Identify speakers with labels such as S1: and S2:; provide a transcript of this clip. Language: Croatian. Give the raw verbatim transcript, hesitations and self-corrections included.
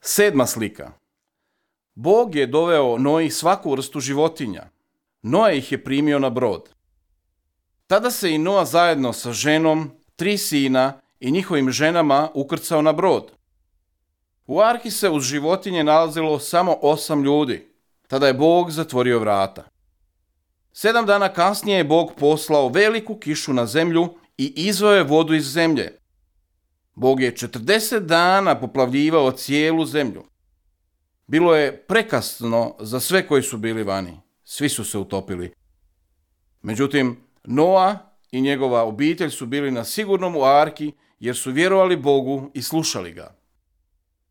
S1: Sedma slika. Bog je doveo Noji svaku vrstu životinja. Noa ih je primio na brod. Tada se i Noa zajedno sa ženom, tri sina i njihovim ženama ukrcao na brod. U arhi se uz životinje nalazilo samo osam ljudi. Tada je Bog zatvorio vrata. Sedam dana kasnije je Bog poslao veliku kišu na zemlju i izveo je vodu iz zemlje. Bog je četrdeset dana poplavljivao cijelu zemlju. Bilo je prekasno za sve koji su bili vani. Svi su se utopili. Međutim, Noa i njegova obitelj su bili na sigurnom u arki jer su vjerovali Bogu i slušali ga.